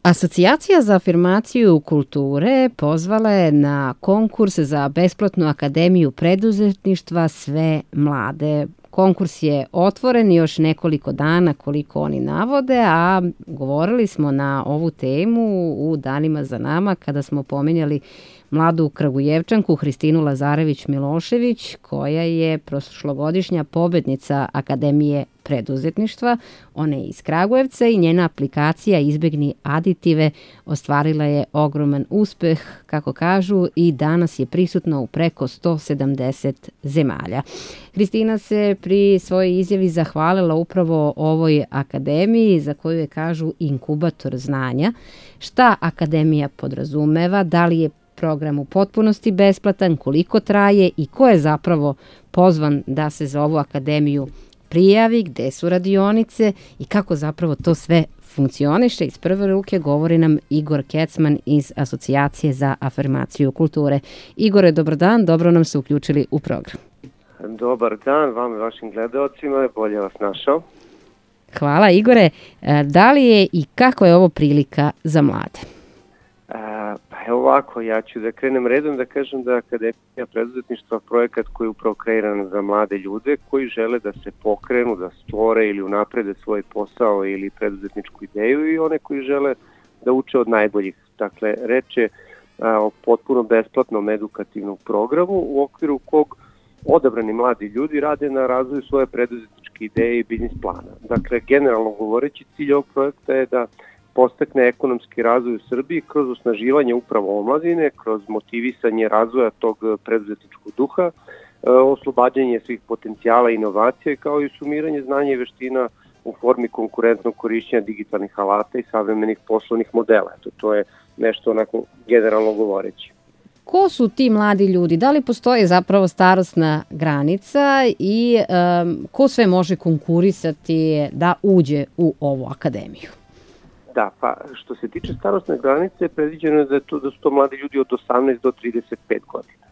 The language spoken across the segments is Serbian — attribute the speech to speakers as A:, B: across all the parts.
A: Asocijacija za afirmaciju kulture pozvala je na konkurs za besplatnu akademiju preduzetništva sve mlade. Konkurs je otvoren još nekoliko dana koliko oni navode, a govorili smo na ovu temu u danima za nama kada smo pominjali mladu Kragujevčanku Hristinu Lazarević-Milošević, koja je prošlogodišnja pobednica Akademije preduzetništva. Ona je iz Kragujevca i njena aplikacija Izbegni aditive ostvarila je ogroman uspeh, kako kažu, i danas je prisutna u preko 170 zemalja. Hristina se pri svojoj izjavi zahvalila upravo ovoj akademiji za koju je, kažu, inkubator znanja. Šta akademija podrazumeva, da li je program u potpunosti besplatan, koliko traje i ko je zapravo pozvan da se za ovu akademiju prijavi, gde su radionice i kako zapravo to sve funkcioniše. Iz prve ruke govori nam Igor Kecman iz Asocijacije za afirmaciju kulture. Igore, dobar dan, dobro nam se uključili u program.
B: Dobar dan vam i vašim gledaocima, bolje vas našao.
A: Hvala, Igore. Da li je i kako je ovo prilika za mlade?
B: Pa evo ovako, ja ću da krenem redom da kažem da Akademija preduzetništva projekat koji je upravo kreiran za mlade ljude koji žele da se pokrenu, da stvore ili unaprede svoj posao ili preduzetničku ideju i one koji žele da uče od najboljih. Dakle, reč je o potpuno besplatnom edukativnom programu u okviru kog odabrani mladi ljudi rade na razvoju svoje preduzetničke ideje i biznis plana. Dakle, generalno govoreći, cilj ovog projekta je da podstakne ekonomski razvoj u Srbiji kroz osnaživanje upravo omladine, kroz motivisanje razvoja tog preduzetničkog duha, oslobađanje svih potencijala i inovacije, kao i sumiranje znanja i veština u formi konkurentnog korišćenja digitalnih alata i savremenih poslovnih modela. To je nešto onako generalno govoreći.
A: Ko su ti mladi ljudi? Da li postoji zapravo starosna granica i ko sve može konkurisati da uđe u ovu akademiju?
B: Da, pa što se tiče starosne granice, predviđeno je da su to mladi ljudi od 18 do 35 godina.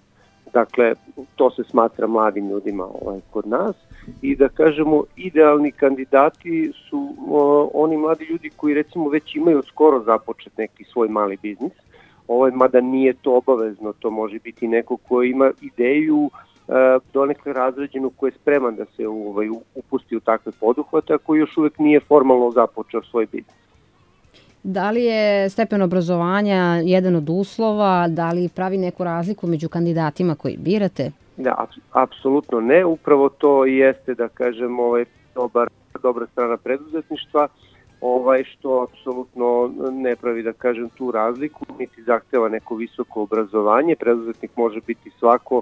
B: Dakle, to se smatra mladim ljudima kod nas i da kažemo idealni kandidati su oni mladi ljudi koji recimo već imaju skoro započet neki svoj mali biznis. Mada nije to obavezno, to može biti neko ko ima ideju donekle razređenu, ko je spreman da se upusti u takve poduhvate, a koji još uvek nije formalno započeo svoj biznis.
A: Da li je stepen obrazovanja jedan od uslova, da li pravi neku razliku među kandidatima koji birate?
B: Da, apsolutno ne, upravo to jeste, da kažem, dobra strana preduzetništva, što apsolutno ne pravi, da kažem, tu razliku, niti zahteva neko visoko obrazovanje. Preduzetnik može biti svako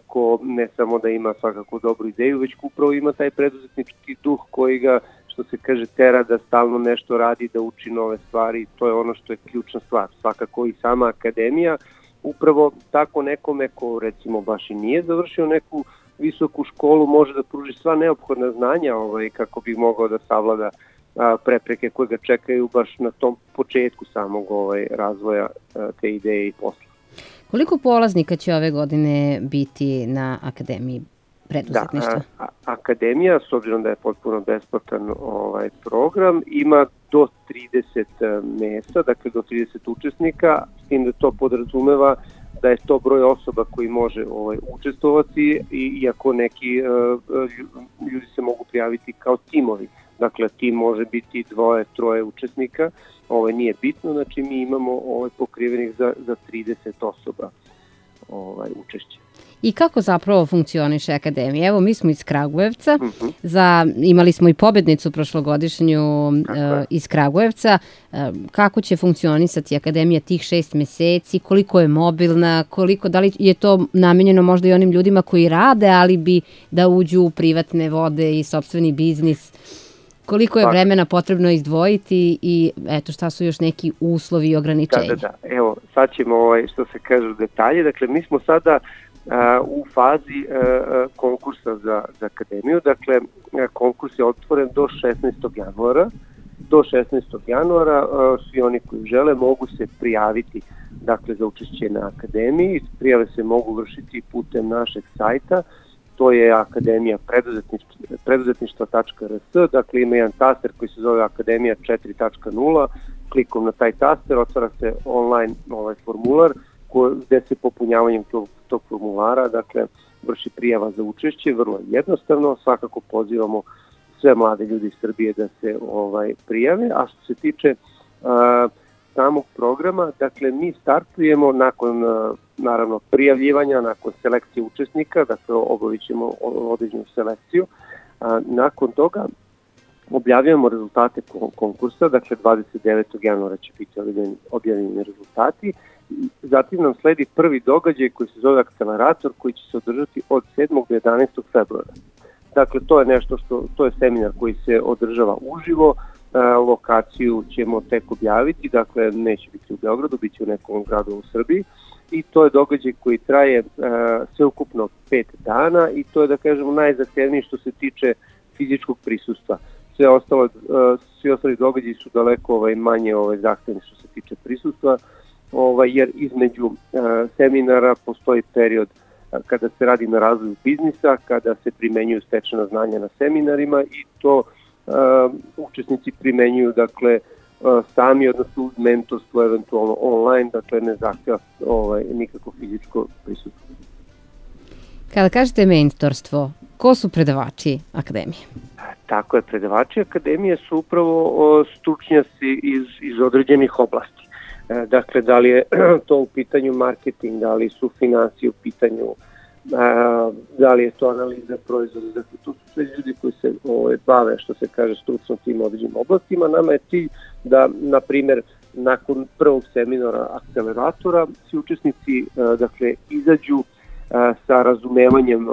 B: ko ne samo da ima svakako dobru ideju, već upravo ima taj preduzetnički duh koji ga, što se kaže, tera da stalno nešto radi, da uči nove stvari. To je ono što je ključna stvar. Svakako i sama akademija, upravo tako nekome ko recimo baš i nije završio neku visoku školu, može da pruži sva neophodna znanja kako bi mogao da savlada prepreke koje ga čekaju baš na tom početku samog razvoja te ideje i posla.
A: Koliko polaznika će ove godine biti na Akademiji preduzetništva?
B: Da, akademija, s obzirom da je potpuno besplatan program, ima do 30 mesta, dakle do 30 učesnika, s tim da to podrazumeva da je to broj osoba koji može učestvovati, iako neki ljudi se mogu prijaviti kao timovi. Dakle, tim može biti 2-3 učesnika, nije bitno, znači mi imamo pokrivenih za 30 osoba učešće.
A: I kako zapravo funkcioniše akademija? Evo, mi smo iz Kragujevca, imali smo i pobednicu prošlogodišnju iz Kragujevca. Kako će funkcionisati akademija tih 6 meseci? Koliko je mobilna? Da li je to namenjeno možda i onim ljudima koji rade, ali bi da uđu u privatne vode i sopstveni biznis? Koliko je vremena potrebno izdvojiti i šta su još neki uslovi i ograničenja?
B: Da. Evo, sad ćemo, što se kaže, detalje. Dakle, mi smo sada u fazi konkursa za akademiju. Dakle, konkurs je otvoren do 16. januara. Do 16. januara svi oni koji žele mogu se prijaviti za učešće na akademiji. Prijave se mogu vršiti putem našeg sajta. To je Akademija preduzetništva.rs, dakle ima jedan taster koji se zove Akademija 4.0, klikom na taj taster otvara se online formular gde se popunjavanjem tog formulara, dakle, vrši prijava za učešće, vrlo jednostavno, svakako pozivamo sve mlade ljudi iz Srbije da se prijave, a što se tiče samog programa, dakle, mi startujemo nakon, naravno, prijavljivanja, nakon selekcije učesnika, dakle, obavit ćemo određenu selekciju, nakon toga objavljujemo rezultate konkursa, dakle 29. januara će biti objavljeni rezultati. Zatim nam sledi prvi događaj koji se zove Akcelerator, koji će se održati od 7. do 11. februara. Dakle, to je to je seminar koji se održava uživo, lokaciju ćemo tek objaviti, dakle neće biti u Beogradu, bit će u nekom gradu u Srbiji i to je događaj koji traje sveukupno 5 dana i to je, da kažemo, najzahtevniji što se tiče fizičkog prisustva. Svi ostali događaji su daleko manje zahtevni što se tiče prisustva, jer između seminara postoji period kada se radi na razvoju biznisa, kada se primenjuju stečena znanja na seminarima i to učesnici primenjuju, dakle, sami, odnosno uz mentorstvo, eventualno online, dakle ne zahteva nikako fizičko prisustvo.
A: Kada kažete mentorstvo, ko su predavači akademije?
B: Tako je, predavači akademije su upravo stručnjaci iz određenih oblasti. Dakle, da li je to u pitanju marketing, da li su finansije u pitanju, da li je to analiza proizvoda, dakle, to su sve ljudi koji se bave, što se kaže, stručno tim određenim oblastima. Nama je cilj da, na primjer, nakon prvog seminara Akceleratora, svi učesnici, dakle, izađu sa razumevanjem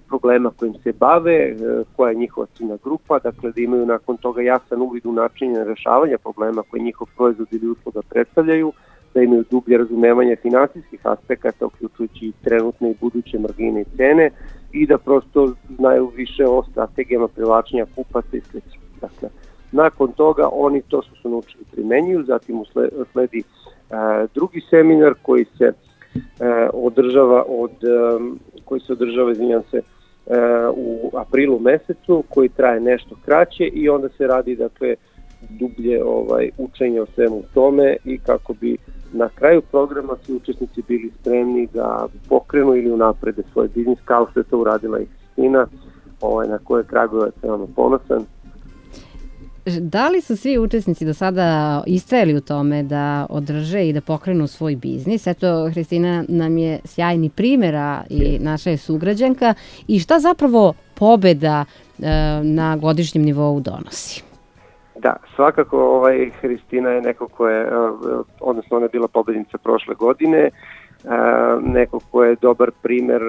B: problema kojim se bave, koja je njihova ciljna grupa, dakle da imaju nakon toga jasan uvid u načinje rešavanja problema koje njihov proizvod ili usluga predstavljaju, da imaju dublje razumevanje finansijskih aspekata, uključujući i trenutne i buduće margine i cene i da prosto znaju više o strategijama privlačenja kupaca i sl. Dakle, nakon toga oni to što su naučili primenjuju, zatim sledi drugi seminar koji se održava u aprilu mesecu, koji traje nešto kraće i onda se radi, dakle, dublje učenje o svemu tome i kako bi na kraju programa svi učesnici bili spremni da pokrenu ili unaprede svoj biznis, kao što je to uradila i Hristina, na koje Kragujevac je veoma ponosan.
A: Da li su svi učesnici do sada istrajali u tome da održe i da pokrenu svoj biznis? Eto, Hristina nam je sjajni primjera i naša je sugrađanka. I šta zapravo pobeda na godišnjem nivou donosi?
B: Da, svakako Hristina je neko ko je, odnosno ona je bila pobednica prošle godine, neko ko je dobar primer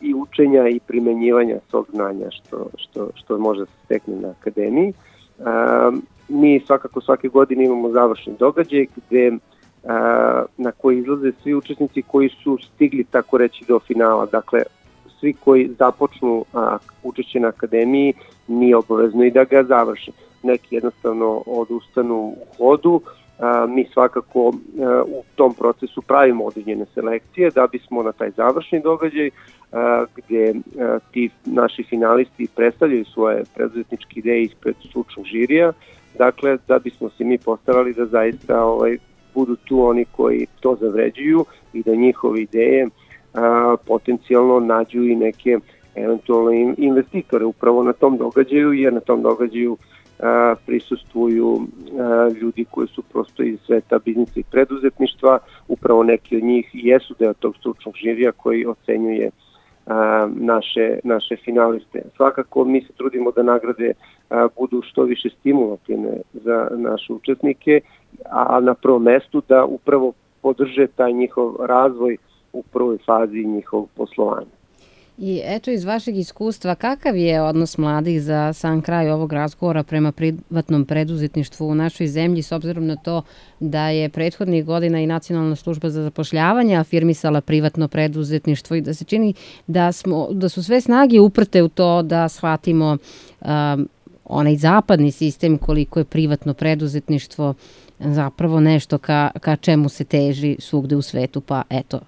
B: i učenja i primenjivanja svog znanja što može se stekne na akademiji. Mi svakako svake godine imamo završni događaj na koji izlaze svi učesnici koji su stigli, tako reći, do finala. Dakle, svi koji započnu učešće na akademiji nije obavezno i da ga završi. Neki jednostavno odustanu u hodu. Mi svakako u tom procesu pravimo određene selekcije da bismo na taj završni događaj gde ti naši finalisti predstavljaju svoje preduzetničke ideje ispred stručnog žirija, dakle da bismo se mi postarali da zaista budu tu oni koji to zavređuju i da njihove ideje potencijalno nađu i neke eventualno investitore upravo na tom događaju, jer na tom događaju prisustvuju ljudi koji su prosto iz sveta biznisa i preduzetništva, upravo neki od njih jesu deo tog stručnog žirija koji ocenjuje naše finaliste. Svakako mi se trudimo da nagrade budu što više stimulativne za naše učesnike, a na prvom mestu da upravo podrže taj njihov razvoj u prvoj fazi njihovog poslovanja.
A: I eto, iz vašeg iskustva, kakav je odnos mladih za sam kraj ovog razgovora prema privatnom preduzetništvu u našoj zemlji, s obzirom na to da je prethodnih godina i Nacionalna služba za zapošljavanje afirmisala privatno preduzetništvo i da se čini da su sve snage uprte u to da shvatimo onaj zapadni sistem koliko je privatno preduzetništvo zapravo nešto ka čemu se teži svugde u svetu, pa eto,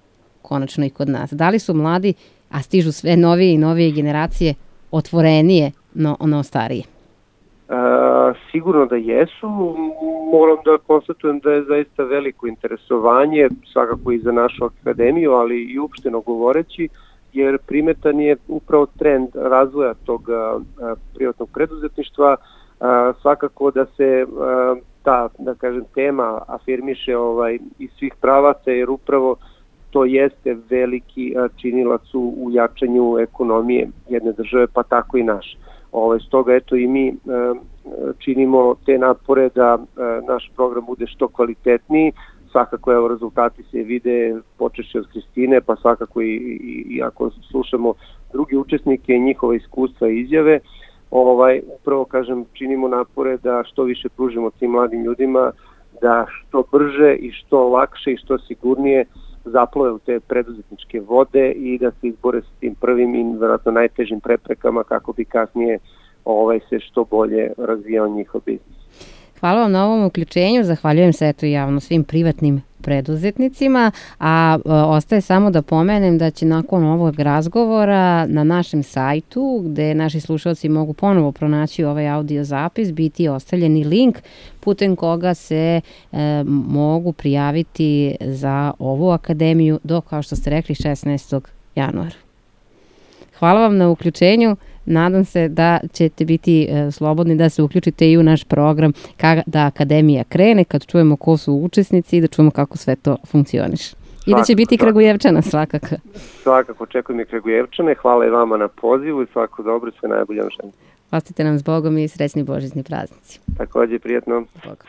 A: konačno i kod nas. Da li su mladi, a stižu sve novije i novije generacije, otvorenije no starije?
B: Sigurno da jesu, moram da konstatujem da je zaista veliko interesovanje, svakako i za našu akademiju, ali i uopšteno govoreći, jer primetan je upravo trend razvoja tog privatnog preduzetništva, svakako da se ta, da kažem, tema afirmiše iz svih pravaca, jer upravo to jeste veliki činilac u jačanju ekonomije jedne države, pa tako i naše. Stoga eto i mi činimo te napore da naš program bude što kvalitetniji. Svakako evo rezultati se vide počeši od Kristine, pa svakako i ako slušamo drugi učesnike, njihova iskustva i izjave, upravo kažem činimo napore da što više pružimo tim mladim ljudima, da što brže i što lakše i što sigurnije zaplove u te preduzetničke vode i da se izbore s tim prvim i vjerojatno najtežim preprekama kako bi kasnije se što bolje razvijao njihov biznis.
A: Hvala vam na ovom uključenju, zahvaljujem se javno svim privatnim preduzetnicima, a ostaje samo da pomenem da će nakon ovog razgovora na našem sajtu, gde naši slušalci mogu ponovo pronaći ovaj audio zapis, biti ostavljeni link putem koga se mogu prijaviti za ovu akademiju do, kao što ste rekli, 16. januara. Hvala vam na uključenju. Nadam se da ćete biti slobodni da se uključite i u naš program da akademija krene, kad čujemo ko su učesnici i da čujemo kako sve to funkcioniše. I da će biti Kragujevčana svakako.
B: Svakako, očekujem i Kragujevčane. Hvala i vama na pozivu i svako dobro, sve najbolje vam želim.
A: Ostite nam s Bogom i srećni božićni praznici.
B: Takođe, prijatno.
A: Bog.